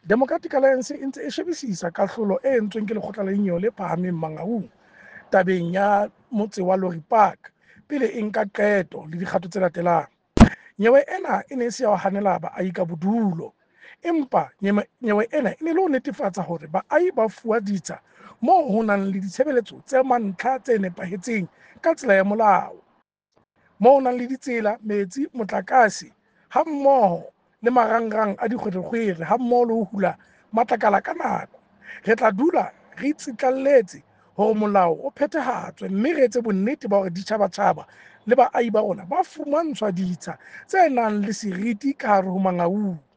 Democratic Alliance e ntse e shebisisa kahlolo e entsweng ke Lekgotla la Dinyewe le Phahameng Mangaung tabeng ya motse wa Lorry Park pele e nka qeto le dikgato tse latelang. Nyewe ena e ne e se ya ho hanela baahi ka bodulo, empa nyewe ena e ne le ho netefatsa hore baahi ba fuwa ditsha moo ho nang le ditshebeletso tsa mantlha tse nepahetseng ka tsela ya molao, moo ho nang le ditsela, metsi, motlakase hammoho le marangrang a dikgwerekgwere hammoho le ho hula matlakala ka nako. Re tla dula re tsitlalletse hore molao o phethahatswe mme re etse bonnete ba hore ditjhabatjhaba le baahi ba rona ba fumantshwa ditsha tse nang le seriti ka hare ho Mangaung.